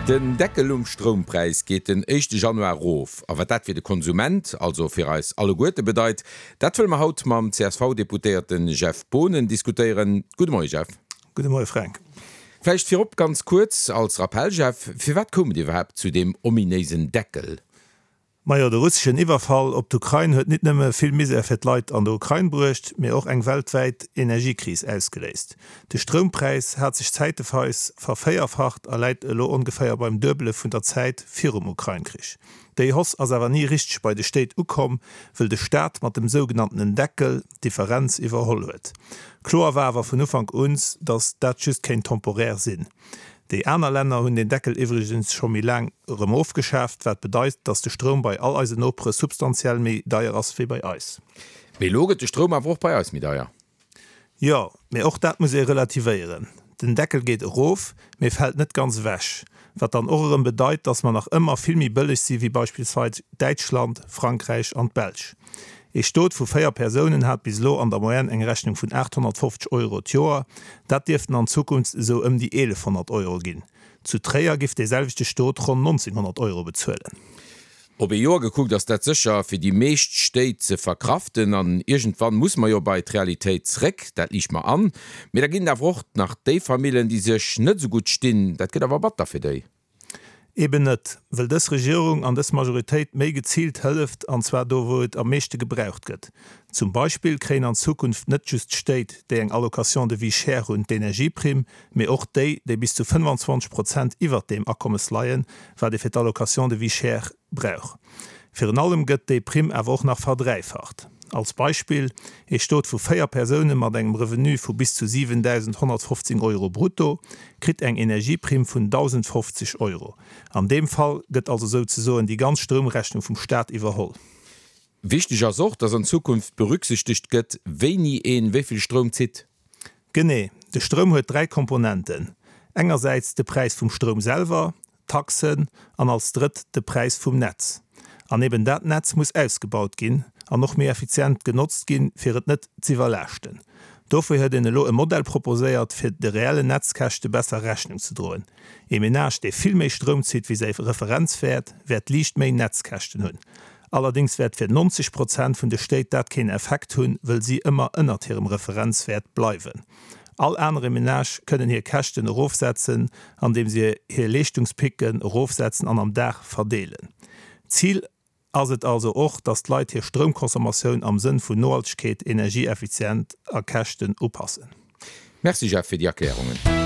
Den Deckel um Stroumpräis geet den éischte Januar erof. A wat dat fir de Konsument, also fir eis alleguerte bedeit, dat wëlle mer haut mam CSV-Deputéierte Jeff Boonen diskutéieren. Gudde Moie Jeff. Gudde Moie Fränk. Vläicht virop ganz kuerz als Rappell, Jeff, firwat koum et iwwerhaapt zu deem ominéisen Deckel? Majo, de russeschen Iwwerfall op d'Ukrain huet nit nëmme vill Misär fir d'Leit an der Ukrain bruecht, mee och eng weltwäit Energiekris ausgeléist. De Stroumpräis hat sech zäiteweis vervéierfacht a läit elo ongeféier beim Duebele vun der Zäit virum Ukrain-Krich. Déi Hausse ass awer ni richteg bei de Stéit ukomm, wëll de Staat mat dem sougenanntenen Deckel d'Differenz iwwerholl huet. Kloer war awer vun Ufank un, datt dat just kéint temporär sinn. Déi aner Länner hunn deen Deckel iwwregens scho méi laang erëm ofgeschaaft, wat bedeit, dass de Stroum bei all eisen Nopere substantiell méi deier ass wéi bei eis. Mee elo gëtt de Stroum awer och bei eis méi deier. Jo, mee och dat muss ee relativéieren. Den Deckel geet erof, mee fält net ganz ewech, wat dann och erëm bedeit, dass mer nach ëmmer vill méi bëlleg si wéi beispillsweis Däitschland, Frankräich an d'Belsch. Ee Stot vu 4 Persounen hat bis elo an der Moyenne eng Rechnung vun 850 Euro d'Joer. Dat dierften an Zukunft esou ëm déi 1.100 Euro ginn. Zu Tréier giff dee selwechte Stot ronn 1.900 Euro bezuelen. Op ee Joer gekuckt ass dat sécher fir déi meescht Stéit ze verkraften. An iergendwann muss mer jo bei d'Realitéit zréck, dat liicht mer an. Mee da ginn et awer och nach déi Famillen, déi sech net esou gutt stinn. Dat gëtt awer batter fir déi. Eben net, wëll dës Regierung an dës Majoritéit méi geziilt hëlleft, an zwar do wou et am meeschte gebraucht gëtt. Zum Beispill kréien an Zukunft net just d'Stéit, déi eng Allocation de vie chère hunn, d'Energieprimm, mee och déi, déi bis zu 25 Prozent iwwert deem Akommes leien, wat ee fir d'Allocation de vie chère brauch. Virun allem gëtt déi Primm awer och nach verdräifacht. Als Beispill, Ee Stot vu 4 Persoune mat engem Revenu vu bis zu 7.115 Euro brutto kritt eng Energieprimm vun 1.050 Euro. An deem Fall gëtt also souzesoen déi ganz Stroumrechnung vum Staat iwwerholl. Wichteg ass och, dass an Zukunft berücksichtegt gëtt, wéini een wéi vill Stroum zitt. Genee, de Stroum huet 3 Komponenten, engersäits de Präis vum Stroum selwer, Taxen an als drëtt de Präis vum Netz. An eben dat Netz muss ausgebaut ginn an och méi effizient genotzt ginn, fir et net z'iwwerlaaschten. Dofir huet een elo e Modell proposéiert, fir de reellen Netzkäschte besser Rechnung ze droen. Ee Menage, dee vill méi Stroum zitt wéi säi Referenzwäert, wäert liicht méi Netzkäschten hunn. Allerdéngs wäert fir 90 Prozent vun de Stéit dat keen Effekt hunn, wëll si ëmmer ënnert hirem Referenzwäert bleiwen. All anere Menage kënnen hir Käschten erofsetzen, andeem se hir Leeschtungspicken erofsetzen an am Dag verdeelen. Zil ass et also och, dass d'Leit hir Stroumconsommatioun am Sënn vun Nohaltegkeet, Energieeffizient a Käschten upassen. Merci Jeff fir déi Erklärungen.